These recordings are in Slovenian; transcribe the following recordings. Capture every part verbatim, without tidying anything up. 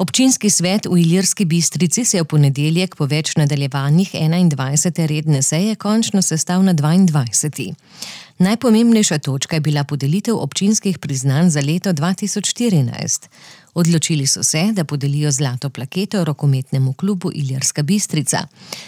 Občinski svet v Ilirski Bistrici se je v ponedeljek po več nadaljevanjih enaindvajsete redne seje končno sestal na dvaindvajseti Najpomembnejša točka je bila podelitev občinskih priznanj za leto dva tisoč štirinajst. Odločili so se, da podelijo zlato plaketo rokometnemu klubu Ilirska Bistrica,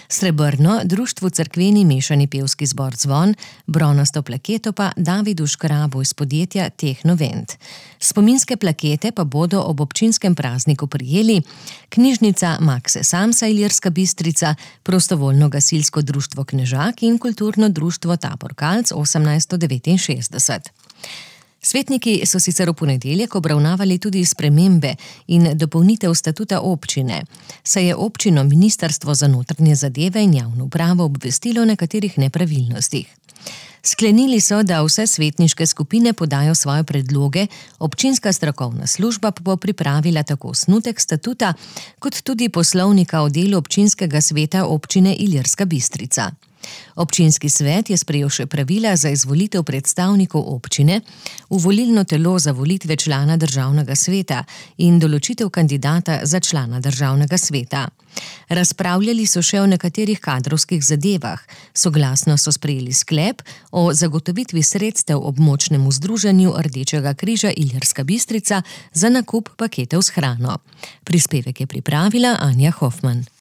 srebrno društvu Cerkveni mešani pevski zbor Zvon, bronasto plaketo pa Davidu Škrabu iz podjetja Tehnovent. Spominske plakete pa bodo ob občinskem prazniku prijeli knjižnica Makse Samsa Ilirska Bistrica, prostovoljno gasilsko društvo Knežak in kulturno društvo Tabor Kalc osemnajststo devetinšestdeset. Svetniki so sicer v ponedeljek obravnavali tudi spremembe in dopolnitev statuta občine, saj je občino Ministrstvo za notranje zadeve in javno upravo obvestilo o nekaterih nepravilnostih. Sklenili so, da vse svetniške skupine podajo svoje predloge, občinska strokovna služba pa bo pripravila tako osnutek statuta, kot tudi poslovnika o delu občinskega sveta občine Ilirska Bistrica. Občinski svet je sprejel še pravila za izvolitev predstavnikov občine, v volilno telo za volitve člana državnega sveta in določitev kandidata za člana državnega sveta. Razpravljali so še o nekaterih kadrovskih zadevah, soglasno so sprejeli sklep o zagotovitvi sredstev območnemu združenju Rdečega križa Ilirska Bistrica za nakup paketov s hrano. Prispevek je pripravila Anja Hofman.